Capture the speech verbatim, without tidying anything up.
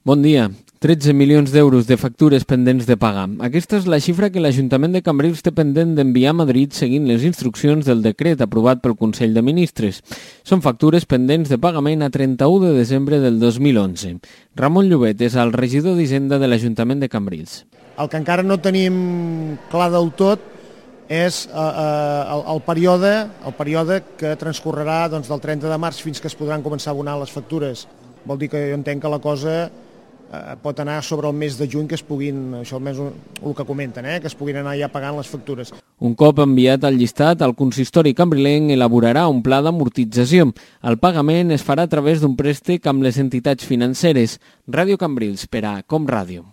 Bon dia. tretze milions d'euros de factures pendents de pagar. Aquesta és la xifra que l'Ajuntament de Cambrils té pendent d'enviar a Madrid seguint les instruccions del decret aprovat pel Consell de Ministres. Són factures pendents de pagament a trenta-u de desembre del dos mil onze. Ramon Llobet és el regidor d'Hisenda de l'Ajuntament de Cambrils. El que encara no tenim clar del tot és eh, eh, el, el, període, el període que transcorrerà doncs, del trenta de març fins que es podran començar a abonar les factures. Vol dir que jo entenc que la cosa eh, pot anar sobre el mes de juny, que es puguin, això almenys el que comenten, eh, que es puguin anar ja pagant les factures. Un cop enviat el llistat, el consistori cambrilenc elaborarà un pla d'amortització. El pagament es farà a través d'un préstec amb les entitats financeres. Ràdio Cambrils per a Com Ràdio.